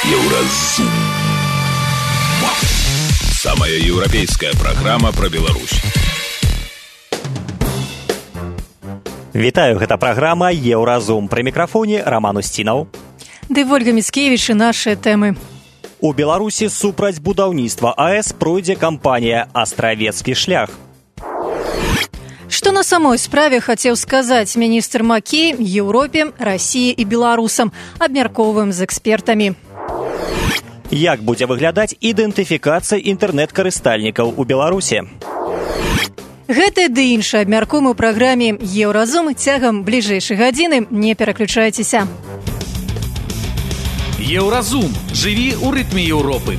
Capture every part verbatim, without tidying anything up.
Еўразум. Самая еўрапейская праграма пра Беларусь. Вітаю, гэта праграма Еўразум. Пры мікрафоне Роман Устінаў. Ды Ольга Міцкевіч і нашыя тэмы. У Беларусі супраць будаўніцтва АЭС пройдзе кампанія «Астравецкі шлях». Што на самой справе хацеў сказаць міністр Макей Еўропе, Расіі і беларусам, абмяркоўваем з экспертамі. Як будзе выглядаць ідэнтыфікацыя інтэрнэт-карыстальнікаў у Беларусі? Гэта ды іншае абмяркуем у праграме «Еўразум» цягам бліжэйшай гадзіны. Не пераключайцеся. Еўразум. Жыві ў рытме Еўропы.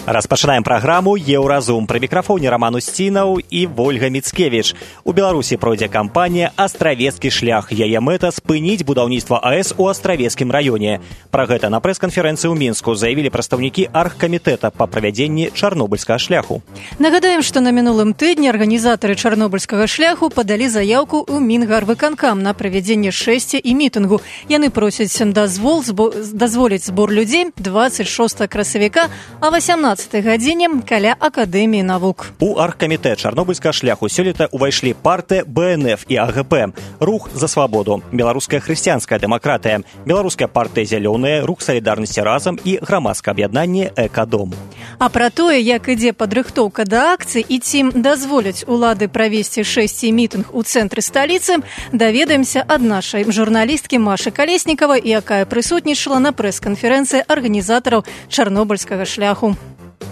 Распачынаем праграму «Еўразум». Пры мікрафоне Роман Устінаў і Ольга Міцкевіч. У Беларусі пройдзе кампанія «Астравецкі шлях». Яе мэта – спыніць будаўніцтва АЭС у Астравецкім раёне. Пра гэта на прэс-канферэнцыі ў Мінску заявілі прадстаўнікі аргкамітэта па правядзенні Чарнобыльскага шляху. Нагадаем, што на мінулым тыдні арганізатары Чарнобыльскага шляху падалі заяўку ў Мінгарвыканкам на правядзенне шэсця і мітынгу. Яны просяць дазвол збо... дазволіць збор людзей дваццаць шостага красавіка, а васямнаццатага гадзіне каля Акадэміі навук. У аргкамітэт Чарнобыльскага шляху сёлета ўвайшлі партыя Бэ Эн Эф і А Гэ Пэ, Рух за свабоду, Беларуская хрысціянская дэмакратыя, Беларуская партыя Зялёная, Рух салідарнасці разам і грамадскае аб'яднанне Экадом. А пра тое, як ідзе падрыхтоўка да акцыі і ці дазволяць улады правесці шэсця і мітынг у цэнтры сталіцы, даведаемся ад нашай журналісткі Машы Калеснікавай, якая прысутнічала на прэс-канферэнцыі арганізатараў Чарнобыльскага шляху.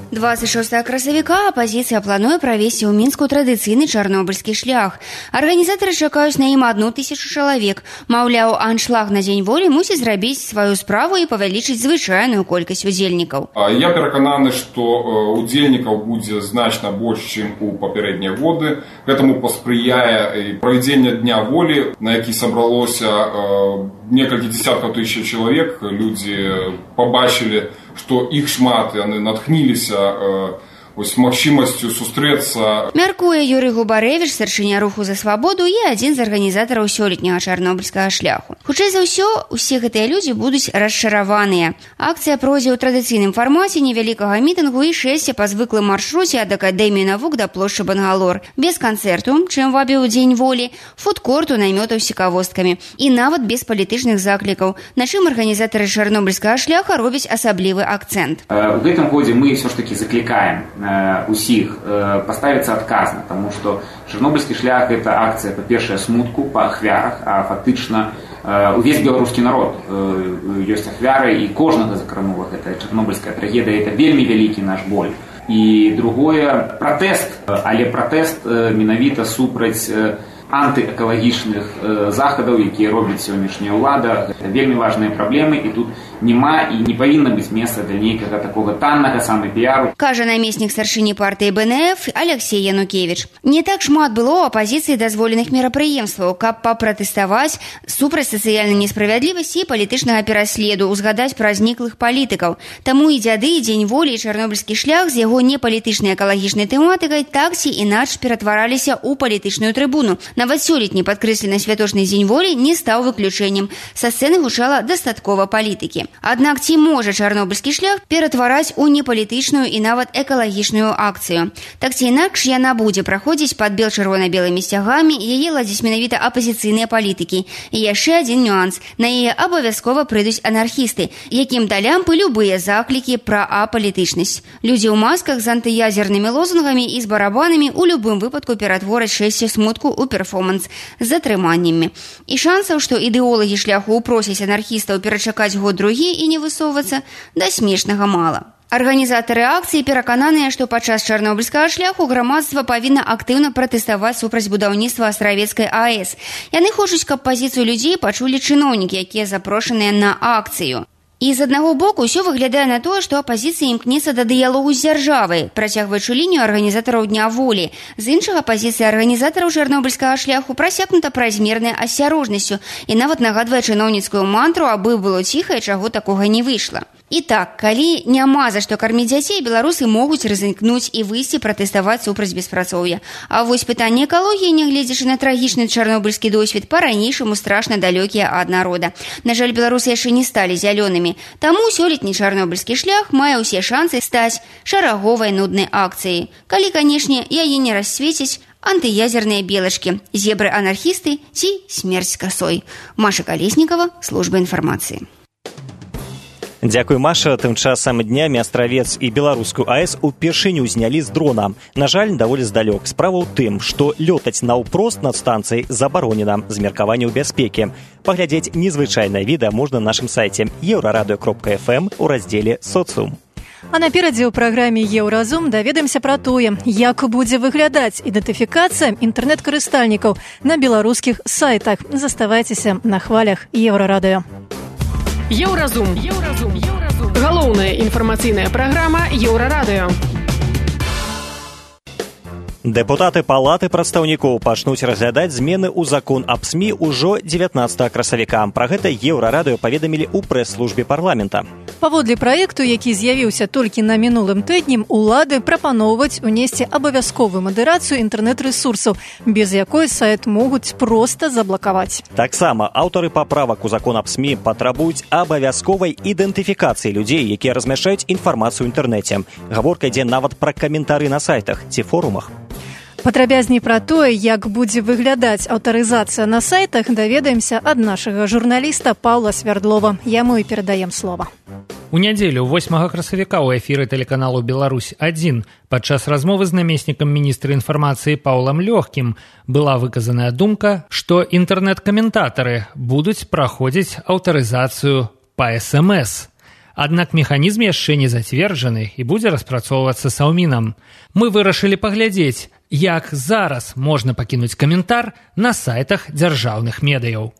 дваццаць шостага красавіка апазіцыя плануе правесці ў Мінску традыцыйны чарнобыльскі шлях. Арганізатары чакаюць на ім адну тысячу чалавек. Маўляў, аншлаг на дзень волі мусіць зрабіць сваю справу і павялічыць звычайную колькасць удзельнікаў. Я перакананы, што удзельнікаў будзе значна больш, чым у папярэднія годы. Гэтаму паспрыяе правядзенне дня волі, на які сабралося некалькі дзесяткаў тысяч чалавек. Людзі пабачылі, што іх шмат, яны натхніліся ось магчымасцю сустрэцца. Мяркуе Юрый Губарэвіч, старшыня Руху за свабоду і адзін з арганізатараў сёлетняга чарнобыльскага шляху. Хутчэй за ўсё, усе гэтыя людзі будуць расчараваныя. Акцыя пройдзе ў традыцыйным фармаце невялікага мітынгу і шэсця па звыклым маршруце ад Акадэміі навук да плошчы Бангалор. Без канцэрту, чым вабіў дзень волі, фудкорту, намётаў з цікавосткамі і нават без палітычных заклікаў, на чым арганізатары чарнобыльскага шляха робяць асаблівы акцэнт. В гэтым годзе мы ўсё ж такі заклікаем усіх поставіцца адказна, таму што Чарнобыльскі шлях – гэта акцыя, па-першае, смутку па ахвярах, а фактычна увесь беларускі народ ёсць ахвярай, і кожнага закранула гэта чарнобыльская трагедыя, это вельмі вялікі наш боль. І другое, пратэст, але пратэст менавіта супраць антыэкалагічных захадаў, якія робіць сённяшняя ўлада. Гэта вельмі важныя праблемы, і тут няма і не павінна быць месца для нейкага такога таннага самапіяру. Кажа намеснік старшыні партыі Бэ Эн Эф Алексей Янукевіч. Не так шмат было ў апазіцыі дазволеных мерапрыемстваў, каб папратэставаць супраць сацыяльнай несправядлівасці і палітычнага пераследу, узгадаць пра зніклых палітыкаў. Таму і дзяды, і дзень волі, і чарнобыльскі шлях з яго непалітычнай экалагічнай тэматыкай так ці інакш ператвараліся ў палітычную трыбуну. Нават сёлетні падкрэслены святочны дзень волі не стаў выключэннем. Са сцэны гучала дастаткова палітыкі. Аднак ці можа чарнобыльскі шлях ператвараць у непалітычную і нават экалагічную акцыю? Так ці інакш яна будзе праходзіць пад бел-чырвона-белымі сцягамі, яе ладзіць менавіта апазіцыйныя палітыкі. І яшчэ адзін нюанс. На яе абавязкова прыйдуць анархісты, якім да лямпы любыя заклікі пра апалітычнасць. Людзі ў масках з антыязернымі лозунгамі і з барабанамі у любым выпадку ператвораць шэсце смутку ў перформанс з затрыманнямі. І шансаў, што ідэолагі шляху ўпросяць анархістаў перачакаць год другі і не высоўвацца, да смешнага мала. Арганізатары акцыі перакананыя, што падчас чарнобыльскага шляху грамадства павінна актыўна пратэставаць супраць будаўніцтва Астравецкай АЭС. Яны хочуць, каб пазіцыю людзей пачулі чыноўнікі, якія запрошаныя на акцыю. І з аднаго боку ўсё выглядае на тое, што апазіцыя імкнецца да дыялогу з дзяржавай, працягваючы лінію арганізатараў Дня волі. З іншага, пазіцыя арганізатараў чарнобыльскага шляху прасякнута празмернай асцярожнасцю і нават нагадвае чыноўніцкую мантру, абы было ціха і чаго такога не выйшла. І так, калі няма за што карміць дзяцей, беларусы могуць рызыкнуць і выйсці пратэставаць супраць беспрацоўя. А вось пытанне экалогіі, нягледзячы на трагічны чарнобыльскі досвед, па-ранейшаму страшна далёкія ад народа. На жаль, беларусы яшчэ не сталі зялёнымі. Таму сёлетні чарнобыльскі шлях мае ўсе шансы стаць шараговай нуднай акцыяй. Калі, канешне, яе не рассвеціць антыязерныя белачкі, зебры-анархісты ці смерць касой. Маша Колеснікова, служба інфармацыі. Дзякуй, Маша. Тым часам днямі Астравец і беларускую АЭС упершыню знялі з дрона. На жаль, даволі здалёк. Справа ў тым, што лётаць наўпрост над станцыяй забаронена з меркаванняў бяспекі. Паглядзець незвычайнае відэа можна на нашым сайце еўрарадыё кропка эф эм у раздзеле «Соцыум». А наперадзе ў праграме «Еўразум» даведаемся пра тое, як будзе выглядаць ідэнтыфікацыя інтэрнэт-карыстальнікаў на беларускіх сайтах. Заставайцеся на хвалях Еўрарадыё. Еўразум. Еўразум. Еўразум. Галоўная інфармацыйная праграма Еўрарадыё. Дэпутаты палаты прадстаўнікоў пачнуць разглядаць змены ў закон аб СМІ ўжо дзевятнаццатага красавіка. Пра гэта Еўрарадыё паведамілі ў прэс-службе парламента. Паводле праекту, які з'явіўся толькі на мінулым тыдні, улады прапаноўваюць унесці абавязковую мадэрацыю інтэрнэт-рэсурсаў, без якой сайт могуць проста заблакаваць. Таксама аўтары паправак у закон аб СМІ патрабуюць абавязковай ідэнтыфікацыі людзей, якія размяшчаюць інфармацыю ў інтэрнэце. Гаворка ідзе нават пра каментары на сайтах ці форумах. Падрабязней пра тое, як будзе выглядаць аўтарызацыя на сайтах, даведаемся ад нашага журналіста Паўла Свярдлова. Яму і перадаем слова. У нядзелю восьмага красавіка ў эфіры тэлеканалу «Беларусь адзін» падчас размовы з намеснікам міністра інфармацыі Паўлам Лёгкім была выказаная думка, што інтэрнэт-каментатары будуць праходзіць аўтарызацыю па эс эм эс. Аднак механізм яшчэ не зацверджаны і будзе распрацоўвацца Саўмінам. Мы вырашылі паглядзець, як зараз можна пакінуць каментар на сайтах дзяржаўных медыяў.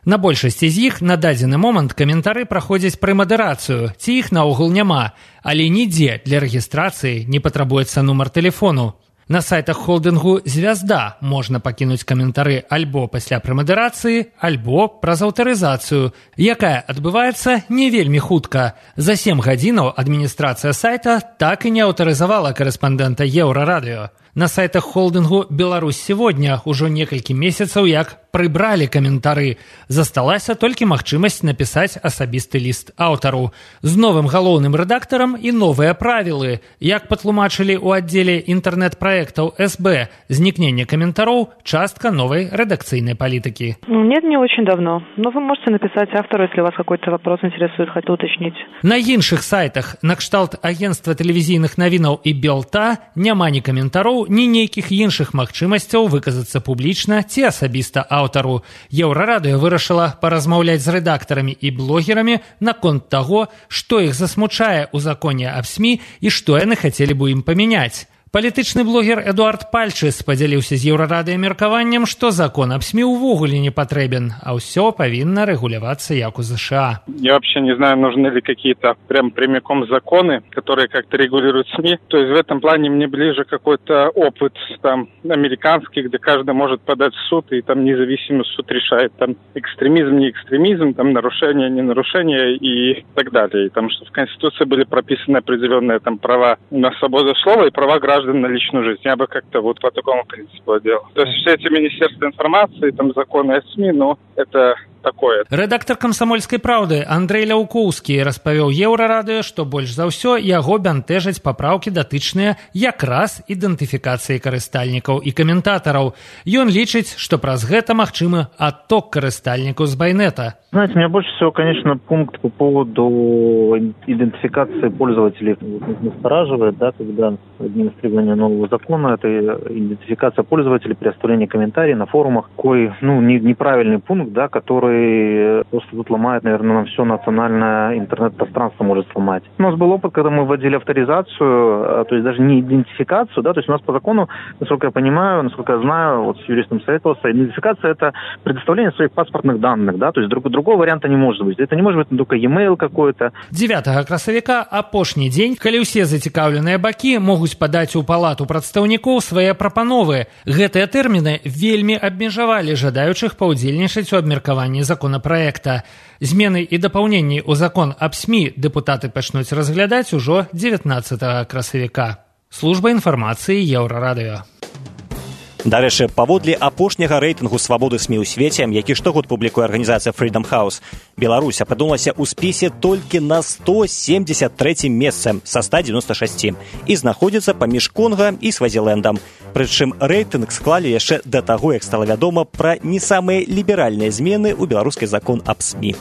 На большасці з іх на дадзены момант каментары праходзяць прэмадэрацыю, ці іх наогул няма, але нідзе для рэгістрацыі не патрабуецца нумар тэлефону. На сайтах холдынгу «Звязда» можна пакінуць каментары альбо пасля прэмадэрацыі, альбо праз аўтарызацыю, якая адбываецца не вельмі хутка. За сем гадзінаў адміністрацыя сайта так і не аўтарызавала карэспандэнта Еўрарадыё. На сайтах холдынгу «Беларусь сегодня» ўжо некалькі месяцаў як прыбралі каментары. Засталася толькі магчымасць напісаць асабісты ліст аўтару. З новым галоўным рэдактарам і новыя правілы. Як патлумачылі ў аддзеле інтэрнэт-праектаў эс бэ, знікненне каментароў – частка новой редакцийной политики. Нет, не очень давно. Но вы можете написать автору, если вас какой-то вопрос интересует, хотите уточнить. На іншых сайтах, на кшталт агентства тэлевізійных навінаў і Белта, няма ні каментароў, ні нейкіх іншых магчымасцяў выказацца публічна ці асабіста аўтару. Еўрарадыё вырашыла паразмаўляць з рэдактарамі і блогерамі наконт таго, што іх засмучае ў законе аб СМІ і што яны хацелі бы ім памяняць. Палітычны блогер Эдуард Пальчыс падзяліўся з Еўрарадыё меркаваннем, што закон аб СМІ увогуле не патрэбен, а ўсё павінна рэгулявацца як у США. Я вообще не знаю, нужны ли какие-то прям прямиком законы, которые как-то регулируют СМИ. То есть в этом плане мне ближе какой-то опыт там американский, где каждый может подать в суд, и там независимый суд решает там экстремизм, не экстремизм, там нарушение, не нарушение и так далее. И там что в Конституции были прописаны определенные там права на свободу слова и права граждан на личную жизнь. Я бы как-то вот по такому принципу делал. То есть все эти министерства информации, там законы о СМИ, но это такое. Рэдактар «Камсамольскай праўды» Андрэй Ляўкоўскі распавёў Еўрарадыё, што больш за ўсё яго бянтэжаць папраўкі датычныя якраз ідэнтыфікацыі карыстальнікаў і каментатараў. Ён лічыць, што праз гэта магчымы адток карыстальнікаў з байнета. Знаете, меня больше всего, конечно, пункт по поводу идентификации пользователей настораживает, да, когда администрирование нового закона, это идентификация пользователей при оставлении комментариев на форумах, какой, ну, не, неправильный пункт, да, который просто тут ломает, наверное, нам все национальное интернет-пространство может сломать. У нас был опыт, когда мы вводили авторизацию, то есть даже не идентификацию, да, то есть у нас по закону, насколько я понимаю, насколько я знаю, вот с юристом советовался, идентификация – это предоставление своих паспортных данных, да, то есть друг другого варианта не может быть. Это не может быть только e-mail какой-то. дзевятага красавіка апошні дзень, калі ўсе зацікаўленыя бакі могуць падаць у палату прадстаўнікоў свае прапановы. Гэтыя тэрміны вельмі абмежавалі жадаючых паўдзельнічаць у абмеркаванні абмеркаванні законапраекта. Змены і дапаўненні ў закон аб СМІ дэпутаты пачнуць разглядаць ужо дзевятнаццатага красавіка. Служба інфармацыі Еўрарадыё. Дарэчы, паводле апошняга рэйтынгу свабоды СМІ ў свеце, які штогод публікуе арганізацыя Freedom House, Беларусь апынулася ў спісе толькі на сто семьдесят трэцім месцы са ста девяноста шасці і знаходзіцца паміж Конга і Свазілендам. Прычым рэйтынг склалі яшчэ да таго, як стала вядома пра не самыя ліберальныя змены ў беларускі закон аб СМІ.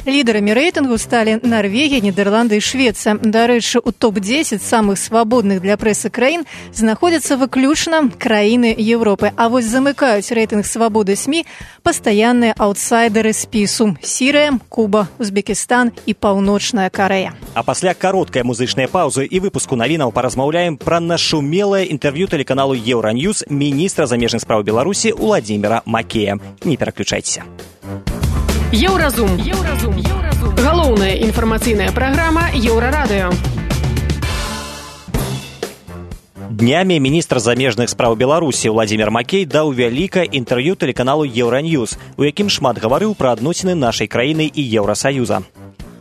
Лідарамі рэйтынгу сталі Нарвегія, Нідерланды і Швецыя. Дарэчы, у топ дзесяць самых свабодных для прэсы краін знаходзяцца выключна краіны Еўропы. А вось замыкаюць рэйтынг свабоды СМІ пастаянныя аўтсайдеры спісу: Сірыя, Куба, Узбекістан і Паўночная Карэя. А пасля кароткай музычнай паўзы і выпуску навінаў паразмаўляем пра нашумелае інтэрв'ю тэлеканалу Еўраньюз міністра замежных спраў Беларусі Уладзіміра Макея. Не пераключайцеся. Еўразум. Еўразум. Еўразум. Галоўная інфармацыйная праграма Еўрарадыё. Днямі міністр замежных спраў Беларусі Уладзімір Макей даў вялікае інтэрв'ю тэлеканалу Еўраньюз, у якім шмат гаварыў пра адносіны нашай краіны і Еўрасаюза.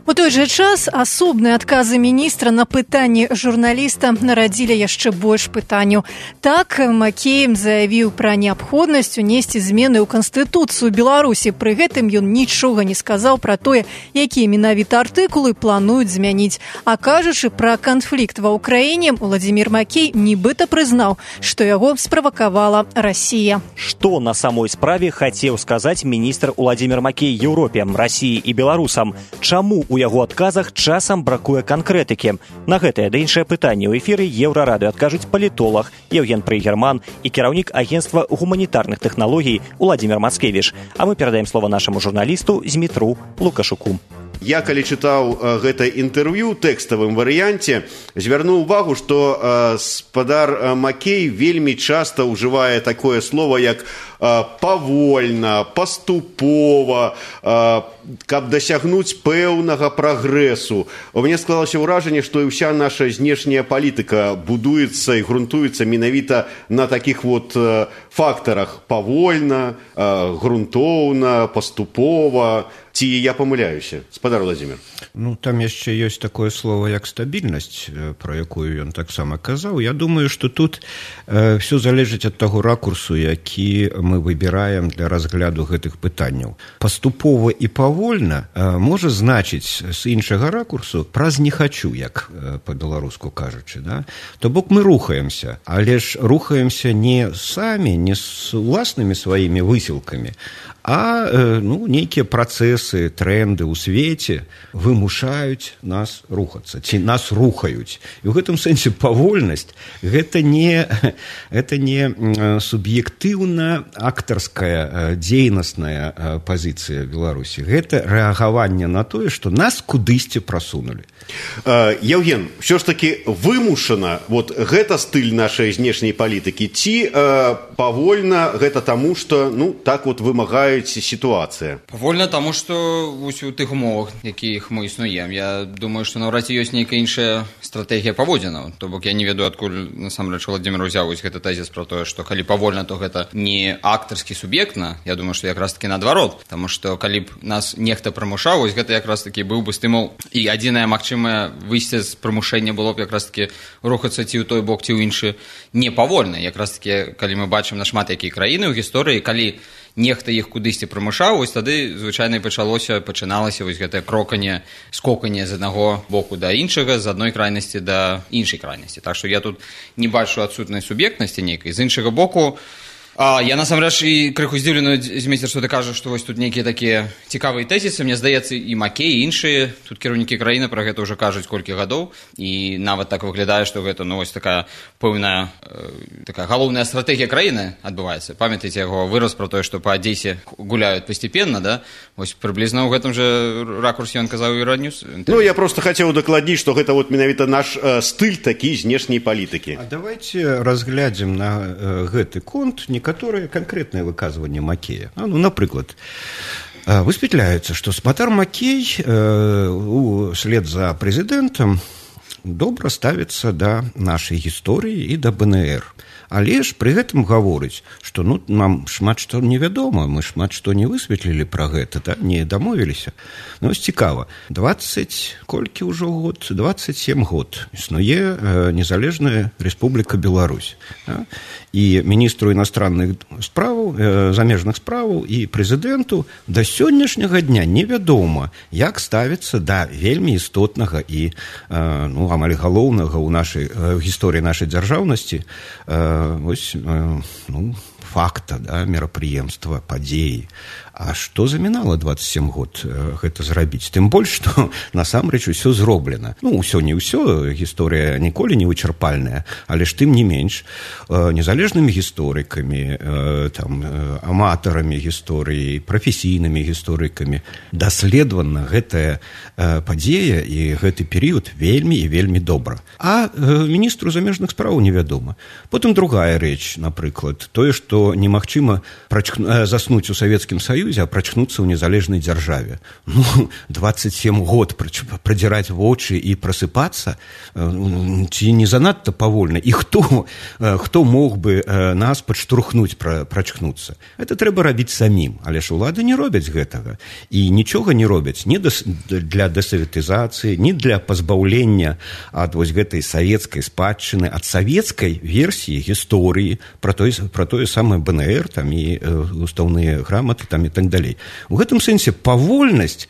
У той жа час асобныя адказы міністра на пытанні журналіста нарадзілі яшчэ больш пытанняў. Так, Макей заявіў пра неабходнасць унесці змены ў Канстытуцыю Беларусі. Пры гэтым ён нічога не сказаў пра тое, якія менавіта артыкулы плануюць змяніць. А кажучы пра канфлікт ва ўкраіне, Уладзімір Макей нібыта прызнаў, што яго справакавала Расія. Што на самой справе хацеў сказаць міністр Уладзімір Макей Еўропе, Расіі і беларусам? Чаму у яго адказах часам бракуе канкрэтыкі? На гэтае да іншае пытанне ў эфіры Еўрарадыё адкажуць палітолог Евген Прыгерман і кіраўнік агенцтва гуманітарных тэхналогій Уладзімір Мацкевіч. А мы перадаем слова нашаму журналісту Змітру Лукашуку. Я, калі чытаў э, гэта інтэрв'ю ў тэкставым варыянце, звярнуў увагу, што э, спадар э, Макей вельмі часта ўжывае такое слово, як э, павольна, паступова, э, каб дасягнуць пэўнага прагрэсу. У мяне склалася ўражанне, што і ўся наша знешняя палітыка будуецца і грунтуецца менавіта на такіх вот э, фактарах: павольна, э, грунтоўна, паступова. Ці я памыляюся, спадар Владзімір? Ну, там яшчэ ёсць такое слово, як стабільнасць, пра якую ён таксама казаў. Я думаю, што тут э, все залежыць ад таго ракурсу, які мы выбіраем для разгляду гэтых пытанняў. Паступова і павольна э, можа значыць з іншага ракурсу праз не хачу, як э, па-беларуску кажучы. Да? То бок мы рухаемся, але ж рухаемся не самі, не з уласнымі сваімі высілкамі, а э, ну, нейкія працэсы, тренды ў свеце вымушаюць нас рухацца, ці нас рухаюць. І ў гэтым сэнсе павольнасць гэта не, гэта не суб'ектыўна актарская дзейнасная пазіцыя Беларусі. Гэта рэагаванне на тое, што нас кудысьці прасунулі. Евген, ўсё ж таки вымушана вот гэта стыль нашай знешняй палітыкі, ці павольна гэта таму, што ну, так вот вымагаюць ситуация? Павольна таму, што у тых умовах, якіх мы існуем. Я думаю, што наўрад ці ёсць нейкая іншая стратэгія паводзінаў. То бок я не ведаю, адкуль насамрэч Владзімір узяў гэты тэзіс пра тое, што калі павольна, то гэта не актарскі суб'ектна. Я думаю, што якраз таки наадварот, таму што калі б нас нехта прымушаў, вось гэта якраз таки быў бы стымул. І адзінае магчымае выйсце з прымушэння было б якраз таки рухацца ці ў той бок, ці ў іншы не павольна. Якраз таки, калі мы бачым на шмат якія краіны ў гісторыі, калі нехта іх кудысьці прымушаў, вось тады звычайна пачалося, пачыналася вось гэтае кроканне, скоканне з аднаго боку да іншага, з адной крайнасці да іншай крайнасці. Так што я тут не бачу адсутнай суб'ектнасці нейкай. З іншага боку, А, я насамрэч і крыху здзіўлены, Змейстер, што ты кажаш, што вось тут нейкія такія цікавыя тэзісы. Мне здаецца, і Макей, і іншыя тут кіраўнікі краіны пра гэта ўжо кажуць колькі гадоў, і нават так выглядае, што гэта ну вось такая пэўная э, такая галоўная стратэгія краіны адбываецца. Памятаеце яго выраз пра тое, што па Адзесе гуляюць пастепенна, да? Вось прыблізна ў гэтым жа ракурсе ён казаў і Раднюс. Ну, я просто хацеў дакладніць, што гэта вот менавіта наш э, стыль такі знешняй палітыкі. А давайте разглядзім на э, гэты конт некаторыя канкрэтныя выказванні Макея. А, ну, напрыклад, высветляецца, што спадар Макей э, услед за прэзідэнтам добра ставіцца да нашай гісторыі і да БНР. Але ж пры гэтым гаворыць, што ну, нам шмат што невядома, мы шмат што не высветлілі пра гэта, да? Не дамовіліся. Ну, ось цікава, дваццаць, колькі ўжо год? дваццаць сем год існуе э, незалежная Рэспубліка Беларусь. Да? І міністру іностранных справаў, э, замежных справаў і прэзідэнту да сённяшняга дня невядома, як ставіцца да вельмі істотнага і э, ну, амаль галоўнага ў нашай э, гісторыі нашай дзяржаўнасці э, ось, э, ну, факта, да, мерапрыемства, падзеі. А што замінала дваццаць сем год э, гэта зрабіць? Тым больш, што насамрэч усё зроблена. Ну, усё не ўсё, гісторыя ніколі не вычарпальная, але ж тым не менш э, незалежнымі гісторыкамі, э, там, э, аматарамі гісторыі, прафесійнымі гісторыкамі даследавана гэтая э, падзея і гэты перыяд вельмі і вельмі добра. А э, міністру замежных спраў невядома. Потым другая рэч, напрыклад, тое, што немагчыма прачк... э, заснуць у Савецкім Саюзе, а прачнуцца ў незалежнай дзяржаве. Ну, дваццаць сем год прадзіраць вочы і прасыпацца, ці не занадта павольна? І хто, хто мог бы нас падштурхнуць прачкнуцца? Это трэба рабіць самім, але ж улады не робяць гэтага. І нічога не робяць ні для дэсаветызацыі, ні для пазбаўлення ад вось гэтай савецкай спадчыны, ад савецкай версіі гісторыі пра тое, пра тое самае БНР, там і устаўныя граматы, там і так далей. У гэтым сэнсе павольнасць,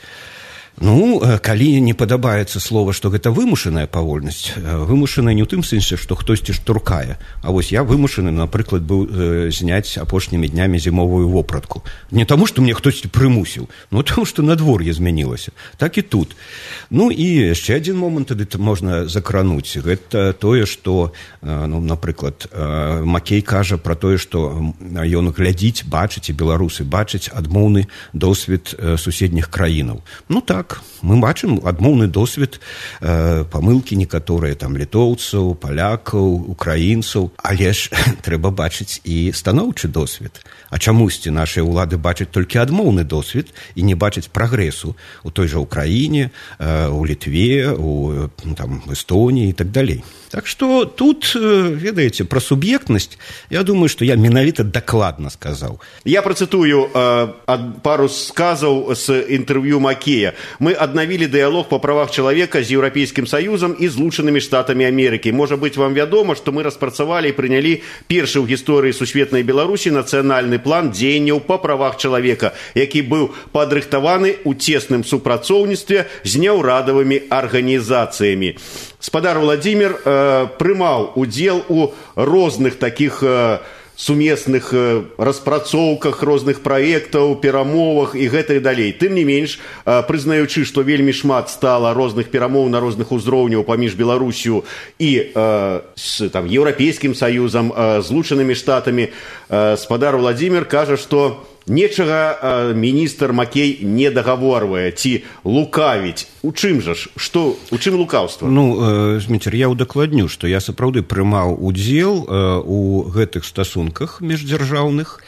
ну, калі не падабаецца слова, што гэта вымушаная павольнасць, вымушаная не ў тым сэнсе, што хтосьці штуркае. А вось я вымушаны, напрыклад, быў э, зняць апошнімі днямі зімовую вопратку. Не таму, што мне хтосьці прымусіў, но таму, што надвор'е змянілася. Так і тут. Ну і яшчэ адзін момант тады можна закрануць. Гэта тое, што, э, ну, напрыклад, э, Макей кажа пра тое, што ён глядзіць, бачыць, і беларусы бачаць адмоўны досвед э, суседніх краінаў. Ну так, мы бачым адмоўны досвед, э, памылкі некаторыя там літоўцаў, палякаў, украінцаў, але ж трэба бачыць і станоўчы досвед. А чамусьці нашыя ўлады бачаць толькі адмоўны досвед і не бачаць прагрэсу у той жа Украіне, э, у Літве, у там, Эстоніі і так далей. Так што тут, ведаеце, пра суб'ектнасць, я думаю, што я менавіта дакладна сказаў. Я працытую э, пару сказаў з інтэрв'ю Макея. Мы аднавілі дыялог па правах чалавека з Еўрапейскім Саюзам і Злучанымі Штатамі Амерыкі. Можа быць, вам вядома, што мы распрацавалі і прынялі першы ў гісторыі сусветнай Беларусі нацыянальны план дзеянняў па правах чалавека, які быў падрыхтаваны ў цесным супрацоўніцтве з няўрадавымі арганізацыямі. Спадар Владзімір э, прымаў удзел у розных такіх э, сумесных э, распрацоўках, розных праектаў, перамовах і гэта і далей. Тым не менш, э, прызнаючы, што вельмі шмат стала розных перамоў на розных узроўняў паміж Беларусю і э, з там, Еўрапейскім Саюзам, э, Злучанымі Штатамі, э, спадар Владзімір кажа, што нечага э, міністр Макей не дагаворвае ці лукавіць. У чым жа ж? Што, у чым лукаўства? Ну, э, Зміцер, я ўдакладню, што я сапраўды прымаў удзел э, у гэтых стасунках міждзяржаўных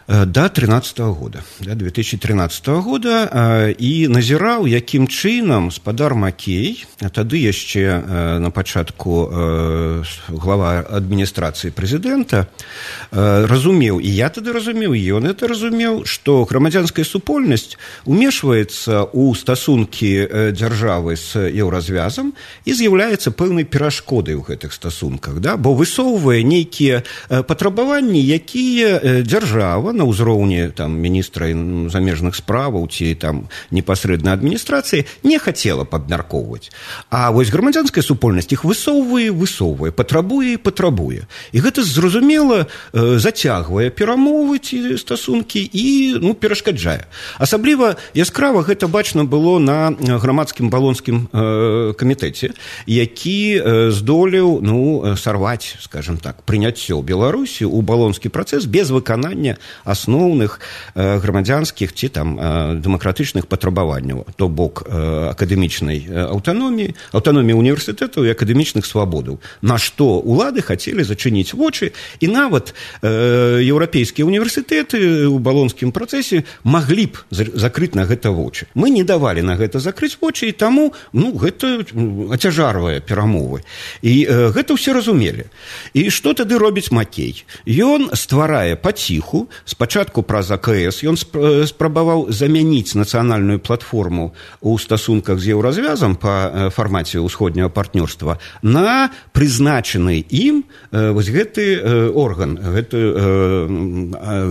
да тринадцатого года, да, две тысячи тринадцатого года, э, і назіраў, якім чынам спадар Макей, а тады яшчэ э, на пачатку э, глава адміністрацыі прэзідэнта, э, разумеў, і я тады разумеў, і ён это разумеў, што грамадзянская супольнасць умешваецца ў стасункі э, дзяржавы з еўразвязам і з'яўляецца пэўнай перашкодай у гэтых стасунках, да, бо высоўвае нейкія э, патрабаванні, якія э, дзяржава на ўзроўні там міністра замежных справаў ці там непасрэдна адміністрацыі не хацела падмяркоўваць. А вось грамадзянская супольнасць іх высоўвае, высоўвае, патрабуе і патрабуе. І гэта зразумела э, зацягвае перамовы ці стасункі і ну, перашкаджае. Асабліва яскрава гэта бачна было на грамадскім балонскім э, камітэце, які э, здолеў ну, сарваць, скажем так, прыняццё Беларусі ў балонскі працэс без выканання асноўных грамадзянскіх ці там дэмакратычных патрабаванняў, то бок акадэмічнай аўтаноміі, аўтаноміі універсітэтаў і акадэмічных свабодаў, на што улады хацелі зачыніць вочы, і нават еўрапейскія універсітэты ў балонскім працэсе маглі б закрыць на гэта вочы. Мы не давалі на гэта закрыць вочы, і таму ну, гэта ацяжарвае перамовы. І гэта ўсе разумелі. І што тады робіць Макей? Ён стварае паціху, спачатку праз А К С, ён спрабаваў замяніць нацыянальную платформу ў стасунках з еўразвязам па фармаце ўсходняга партнёрства на прызначаны ім вось гэты орган, гэтую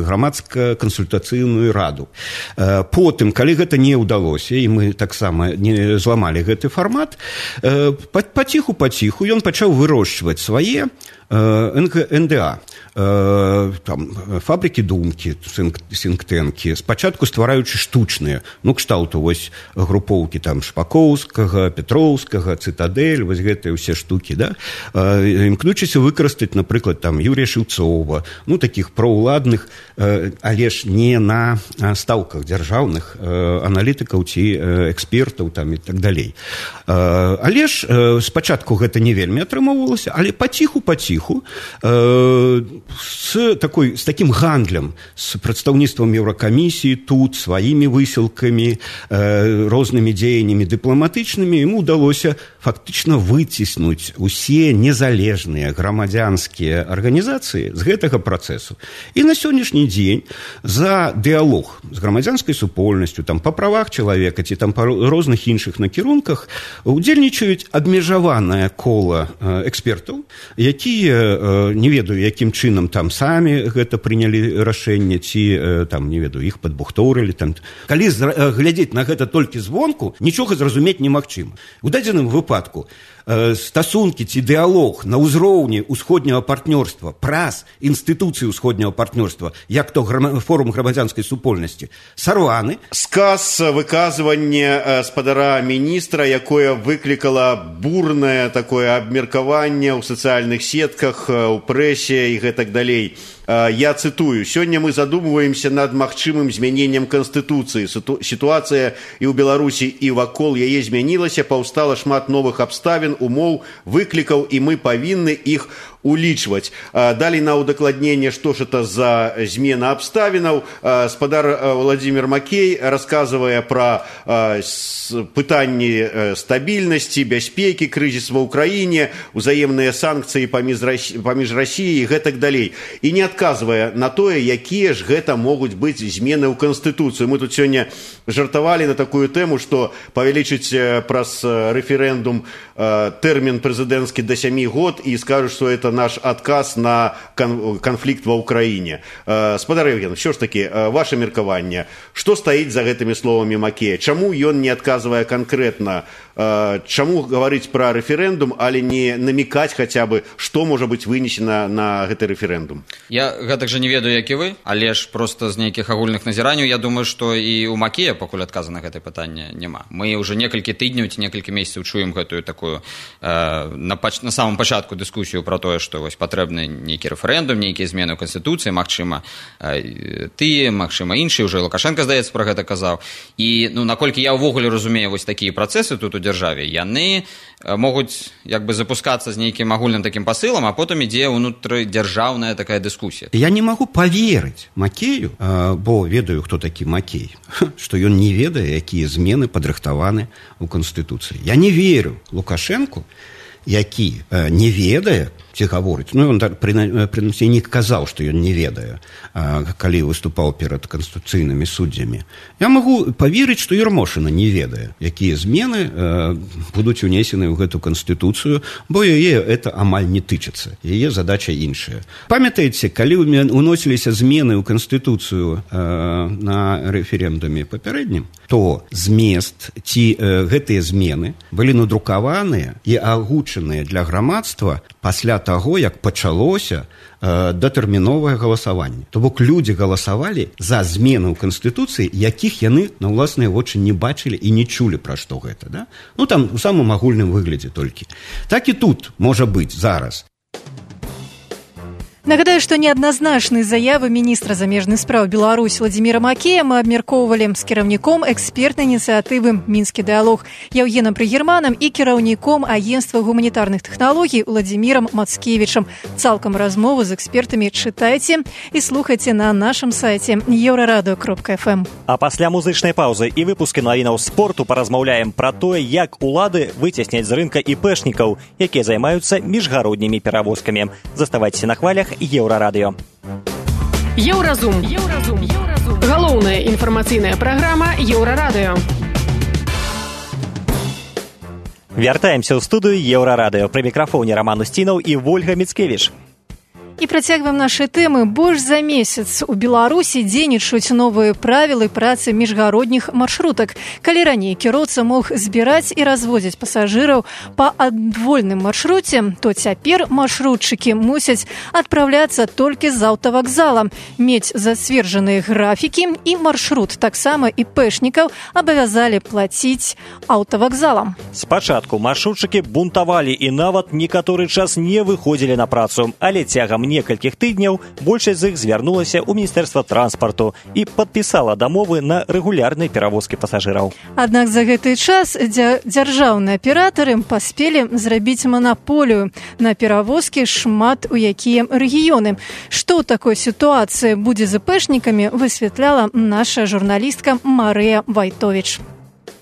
грамадска-кансультацыйную раду. Потым, калі гэта не ўдалося, і мы таксама не зламалі гэты фармат, паціху-паціху ён пачаў вырошчваць свае Н Д А, там, фабрыкі думкі, сінктэнкі, спачатку ствараючы штучныя, ну, кшталту вось групоўкі там Шпакоўскага, Петроўскага, Цытадэль, вось гэтыя ўсе штукі, да, імкнучыся выкарыстаць, напрыклад, там, Юрія Шыўцова, ну, такіх праўладных, але ж не на стаўках дзяржаўных аналітыкаў ці экспертаў там і так далей. Але ж спачатку гэта не вельмі атрымоўвалася, але паціху-паціху с, такой, с таким гандлем, с прадстаўніцтвам Еўракамісіі тут, сваімі высілкамі, рознымі дзеяннямі дыпламатычнымі, ему ўдалося фактычна выціснуць усе незалежныя грамадзянскія арганізацыі з гэтага працэсу. І на сённяшні дзень за дыялог з грамадзянскай супольнасцю, там, па правах чалавека ці там па розных іншых накірунках удзельнічаюць абмежаванае кола экспертаў, якія не ведаю, якім чынам там самі гэта прынялі рашэнне, ці там, не ведаю, іх падбухторылі. Там. Калі глядзець на гэта толькі звонку, нічога зразумець немагчыма. У дадзеным выпадку стасункі ці дыялог на ўзроўні ўсходняга партнёрства праз інстытуцыі ўсходняга партнёрства, як то форум грамадзянскай супольнасці, сарваны. Сказ выказванне спадара міністра, якое выклікала бурнае такое абмеркаванне ў сацыяльных сетках, у прэсе і гэтак далей. Я цитую: «Сегодня мы задумываемся над магчымым змянением Конституции. Ситуация и у Беларуси, и вакол яе змянілася, паўстала шмат новых абставін, умоў, выклікаў, и мы павінны их улічваць». Далей на удакладненне, што ж это за змена абставінаў, спадар Владимир Макей рассказывая про пытанні стабільнасці, бяспекі, крызіс ва ўкраіне, узаемныя санкцыі паміж Расіяй і гэтак далей. І не адказвае на тое, якія ж гэта могуць быць змены ў Канстытуцыю. Мы тут сёння жартавалі на такую тэму, што павялічыць праз рэферэндум тэрмін прэзідэнцкі да сямі год і скажуць, што это наш адказ на канфлікт ва ўкраіне. Спадар Евген, що ж такі, ваше меркаванне, што стаіць за гэтымі словамі Макея? Чаму ён не адказвае канкрэтна? Чаму гаварыць пра рэферэндум, але не намікаць хаця бы, што можа быць вынесена на гэты рэферэндум? Я гэтак жа не ведаю, як і вы, але ж проста з нейкіх агульных назіранняў, я думаю, што і ў Макея пакуль адказа на гэтае пытанне няма. Мы ўжо некалькі тыдняў ці некалькі месяцаў чуем гэтую такую э, на, пач... на самом пачатку дыскусію пра тое, што вось патрэбны нейкі рэферэндум, нейкія змены ў Канстытуцыі, магчыма, э, тыя, магчыма, іншыя, ўжо Лукашенко, здаецца, пра гэта казаў. І, ну, наколькі я ўвогуле разумею вось такія працэсы тут у дзяржаве, яны могуць як бы запускацца з нейкім агульным такім пасылам, а потым ідзе ўнутрыдзяржаўная такая дыскусія. Я не магу поверыць Макею, бо ведаю, хто такі Макей, што ён не ведае, якія змены падрыхтаваны ў Канстытуцыі. Я не верю Лукашенку, які не ведае, ці гаворыць, ну, ён прынамсі не казаў, што ён не ведае, калі выступаў перад канстытуцыйнымі суддзямі. Я магу паверыць, што Ермошына не ведае, якія змены будуць унесены ў гэту Канстытуцыю, бо яе это амаль не тычыцца, яе задача іншая. Памятаеце, калі уносіліся змены ў Канстытуцыю на рэферэндуме папярэднім, то змест ці гэтыя змены былі надрукаваныя і агучаныя для грамадства пасля таго, як пачалося э, датэрміновае галасаванне. То бок людзі галасавалі за змены ў Канстытуцыі, якіх яны на ўласныя вочы не бачылі і не чулі пра што гэта. Да? Ну там у самым агульным выглядзе толькі. Так і тут можа быць зараз. Нагадаю, што неадназначныя заявы міністра замежных спраў Беларусі Владзіміра Макея мы абмяркоўвалі з кіраўніком экспертнай ініцыятывы «Мінскі дыялог» Яўгенам Прыгерманам і кіраўніком агенцтва гуманітарных тэхналогій Владзімірам Мацкевічам. Цалкам размову з экспертамі чытайце і слухайце на нашым сайце еўрарадыё кропка эф эм. А пасля музычнай паўзы і выпускі навінаў спорту паразмаўляем пра тое, як улады выцесняць з рынка іпэшнікаў, якія займаюцца міжгароднімі перавозкамі. Заставайцеся на хвалях Еўрарадыё. Еўразум. Еўразум. Еўразум. Галоўная інфармацыйная праграма Еўрарадыё. Вяртаемся ў студыю Еўрарадыё. Пры мікрафоне Раман Усцінаў і Вольга Міцкевіч. І працягваем нашы тэмы. Больш за месяц у Беларусі дзейнічаюць новыя правілы працы міжгародніх маршрутак. Калі раней кіроўца мог збіраць і развозіць пасажыраў па адвольным маршруце, то цяпер маршрутчыкі мусяць адпраўляцца толькі з аўтавакзала, мець зацверджаныя графікі, і маршрут таксама іпэшнікаў абавязалі плаціць аўтавакзалам. Спачатку маршрутчыкі бунтавалі і нават некаторы час не выходзілі на працу, але цягам некалькіх тыдняў большасць з іх звярнулася ў Міністэрства транспарту і падпісала дамовы на рэгулярныя перавозкі пасажыраў. Аднак за гэты час дзяржаўныя аператары паспелі зрабіць манаполію на перавозкі шмат у якія рэгіёны. Што ў такой сітуацыі будзе з іпэшнікамі, высвятляла наша журналістка Марыя Вайтовіч.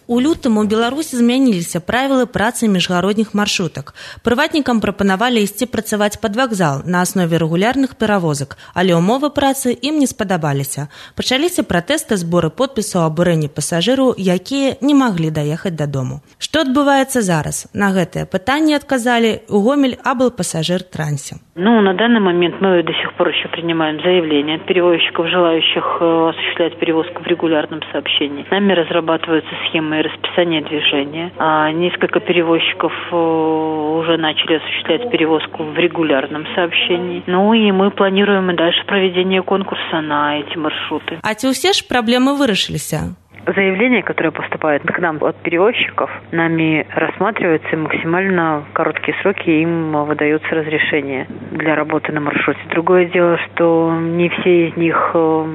У лютым у Беларусі змяніліся правілы працы міжгародніх маршрутак. Прыватнікам прапанавалі ісці працаваць пад вакзал на аснове рэгулярных перавозак, але ўмовы працы ім не спадабаліся. Пачаліся пратэсты, зборы подпісаў аб абурэнні пасажыраў, якія не маглі даехаць дадому. Што адбываецца зараз? На гэтае пытанне адказалі у Гомель облпассажир-трансе. Ну, на данный момент мы до сих пор еще принимаем заявления от перевозчиков, желающих осуществлять перевозку в регулярном сообщении. Нами разрабатываются схемы расписания движения. А несколько перевозчиков уже начали осуществлять перевозку в регулярном сообщении. Ну и мы планируем и дальше проведение конкурса на эти маршруты. А ці ўсе ж праблемы вырашыліся? Заявления, которые поступают к нам от перевозчиков, нами рассматриваются, и максимально короткие сроки им выдается разрешение для работы на маршруте. Другое дело, что не все из них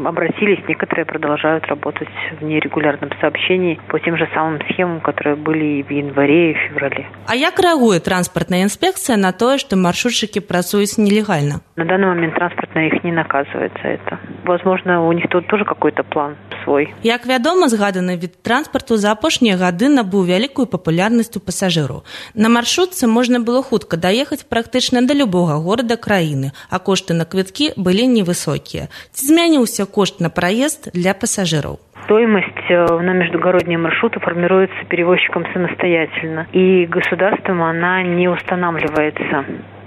обратились, некоторые продолжают работать в нерегулярном сообщении по тем же самым схемам, которые были и в январе, и в феврале. А як реагует транспортная инспекция на то, что маршрутчики працуют нелегально? На данный момент транспортная их не наказывает за это. Возможно, у них тут тоже какой-то план свой. Як вядома, згаданы від транспарту за апошнія гады набыў вялікую папулярнасць у пасажыраў. На маршрутцы можна было хутка даехаць практычна да любога горада краіны, а кошты на квіткі былі невысокія. Ці змяніўся кошт на праезд для пасажыраў? Стоимость на междугородние маршруты формируется перевозчиком самостоятельно, и государством она не устанавливается.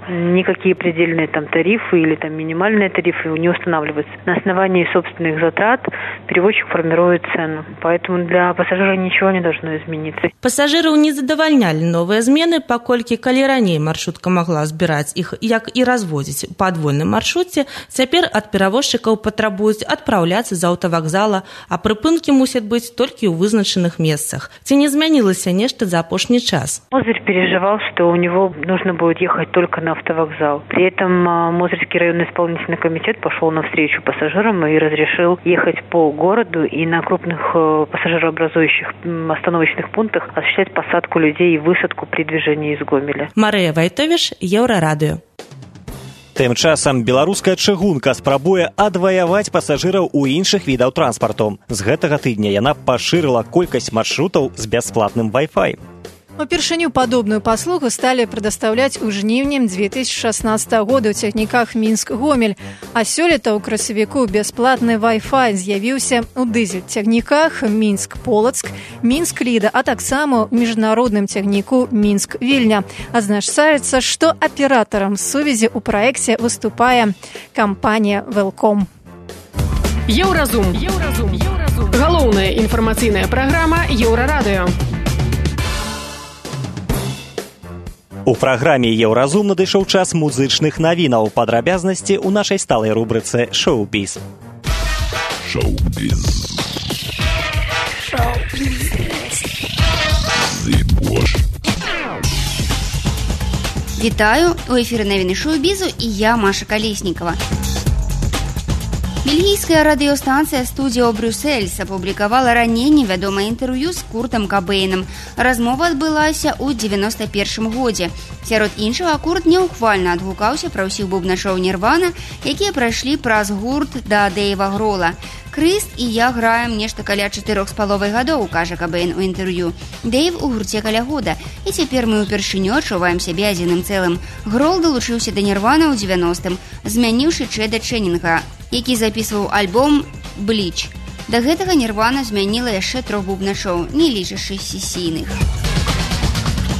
Никакие предельные там тарифы или там минимальные тарифы не устанавливаются. На основании собственных затрат перевозчик формирует цену. Поэтому для пассажира ничего не должно измениться. Пассажиров не задавальнялі новыя змены, паколькі калі раней маршрутка магла збіраць іх, як і развозіць па адвольным маршруце, цяпер ад перавозчыкаў патрабуюць адпраўляцца з аўтавакзала, а прыпынкі мусяць быць толькі ў вызначаных месцах. Ці не змянілася нешта за апошні час? Мозырь переживал, что у него нужно будет ехать только на автовокзал. При этом Мозырский районный исполнительный комитет пошел навстречу пассажирам и разрешил ехать по городу и на крупных пассажирообразующих остановочных пунктах осуществлять посадку людей и высадку при движении из Гомеля. Марыя Вайтовіч, Еўрарадыё. Тым часам беларуская чыгунка спрабуе адваяваць пасажыраў у іншых відаў транспарту. З гэтага тыдня яна пашырыла колькасць маршрутаў з бясплатным Wi-Fi. Упершыню падобную паслугу сталі прадастаўляць у жніўні две тысячи шаснаццатага года ў цягніках Мінск-Гомель, а сёлета ў красавіку бясплатны Wi-Fi з'явіўся ў дызель-цягніках Мінск-Полацк, Мінск-Ліда, а таксама ў міжнародным цягніку Мінск-Вільня. Адзначаецца, што аператарам сувязі ў праекце выступае кампанія «Велком». Еўразум. Еўразум. Еўразум. Галоўная інфармацыйная праграма Еўрарадыё. У праграме «Еўразум» надышоў час музычных навінаў. Падрабязнасці ў нашай сталай рубрыцы «Шоу-біз». Шоу-біз. Шоу-біз. Зыбош. Вітаю, у эфіры навіны шоу-бізу і я, Маша Калеснікава. Бельгійская радыёстанцыя «Студіо Брюссельс» апублікавала раней невядомае інтэрв'ю з Куртам Кабэйнам. Размова адбылася ў девяносто першым годзе. Сярод іншага, Курт няўхвальна адгукаўся пра ўсіх бубначоў Нірвана, якія прайшлі праз гурт да Дэйва Грола. «Крыст і я граем нешта каля чатырох з паловай гадоў», кажа Кабэйн у інтэрв'ю. «Дэйв у гурце каля года, і цяпер мы ўпершыню адчуваем сябе адзіным цэлым». Грол далучыўся да Нірвана ў девяностым, змяніўшы Чэда Чэннінга, які запісваў альбом «Бліч». Да гэтага Нірвана змяніла яшчэ трох бубначоў, не лічачы сесійных.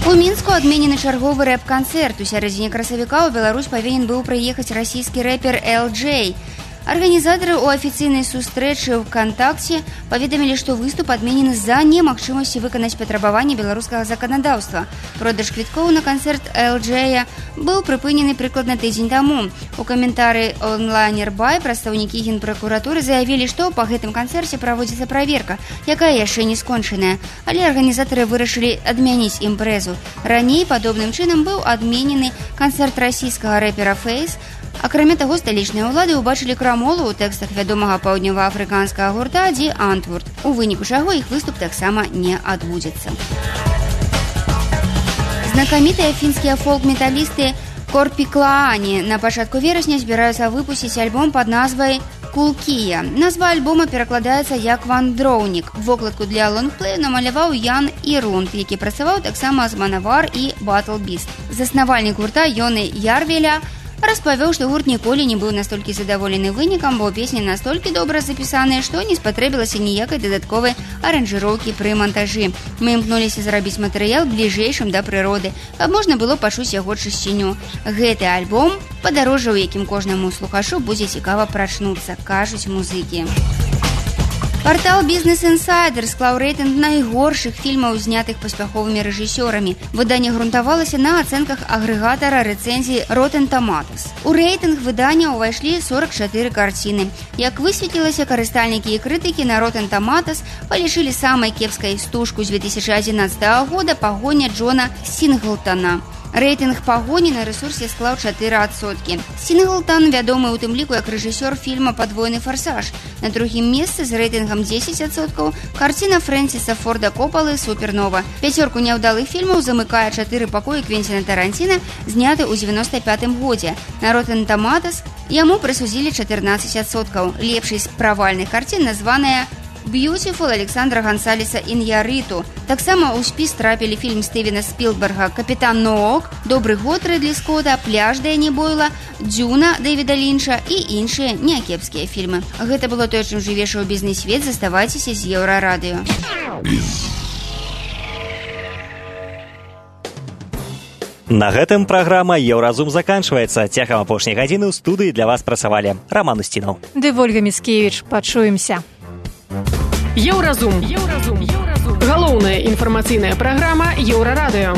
У Мінску адменены чарговы рэп-канцэрт. У сярэдзіне красавіка ў Беларусь павінен быў прыехаць расійскі рэпер эл джей. Арганізатары ў афіцыйнай сустрэчы ў «Кантакце» паведамілі, што выступ адменены з-за немагчымасці выканаць патрабаванні беларускага заканадаўства. Продаж квіткоў на канцэрт эл джея быў прыпынены прыкладна тыдзень таму. У каментары онлайнер бай прадстаўнікі генпракуратуры заявілі, што па гэтым канцэрце праводзіцца праверка, якая яшчэ не скончаная. Але арганізатары вырашылі адмяніць імпрэзу. Раней падобным чынам быў адменены канцэрт расійскага рэпера «Фейс». Акрамя таго, сталічныя ўлады ўбачылі крамолу ў тэкстах вядомага паўднёваафрыканскага гурта «Ди Антвурд», у выніку чаго іх выступ таксама не адбудзецца. Знакамітыя фінскія фолк-металісты Корпіклаані на пачатку верасня збіраюцца выпусціць альбом пад назвай «Кулкія». Назва альбома перакладаецца як «Вандроўнік». Вокладку для лонгплею намаляваў Ян Ірунд, які працаваў таксама з Манавар і Батл Біст. Заснавальнік гурта Йоны Ярвеля распавёў, што гурт ніколі не быў настолькі задаволены вынікам, бо песні настолькі добра запісаныя, што не спатрэбілася ніякай дадатковай аранжыроўкі пры мантажы. Мы імкнуліся зрабіць матэрыял бліжэйшым да прыроды, каб можна было пачуць яго чысціню. Гэты альбом – падарожжа, у якім кожнаму слухашу будзе цікава прачнуцца, кажуць музыкі. Партал «Бізнес Інсайдер» склаў рэйтынг найгоршых фільмаў, знятых паспяховымі рэжысёрамі. Выданне грунтавалася на ацэнках агрэгатара рэцэнзій Rotten Tomatoes. У рэйтынг выдання ўвайшлі сорок чатыры карціны. Як высветлілася, карыстальнікі і крытыкі на Rotten Tomatoes палічылі самай кепскай стужку з две тысячи адзінаццатага года «Пагоня Джона Сінглтана». Рэйтынг «Пагоні» на рэсурсе склаў чатыры адсоткі. Сінглтан вядомы ў тым ліку як рэжысёр фільма «Падвойны фарсаж». На другім месцы з рэйтынгам дзесяць адсоткаў карціна Фрэнсіса Форда Копалы «Супернова». Пяцёрку няўдалых фільмаў замыкае чатыры пакоі Квенціна Таранціна, зняты ў девяносто пятым годзе. На Rotten Tomatoes яму прысудзілі чатырнаццаць адсоткаў. Лепшай з правальных карцін названая «Beautiful» Александра Гонсалеса Іньярриту. Таксама ў спіс трапілі фільм Стывена Спілберга «Капітан Ноок», «Добры год» Рыдлі Скотта, «Пляж» Дэні Бойла, «Дзюна» Дэвіда Лінча і іншыя някепскія фільмы. Гэта было тое, чым жыве шоу-бізнес-свет. Заставайцеся з Еўрарадыё. На гэтым праграма «Еўразум» заканчваецца. Цягам апошняй гадзіны ў студыі для вас працавалі Раман Устінаў. Ды Вольга Міцкевіч. Пачуемся. Еўразум. Еўразум. Галоўная інфармацыйная праграма Еўрарадыё.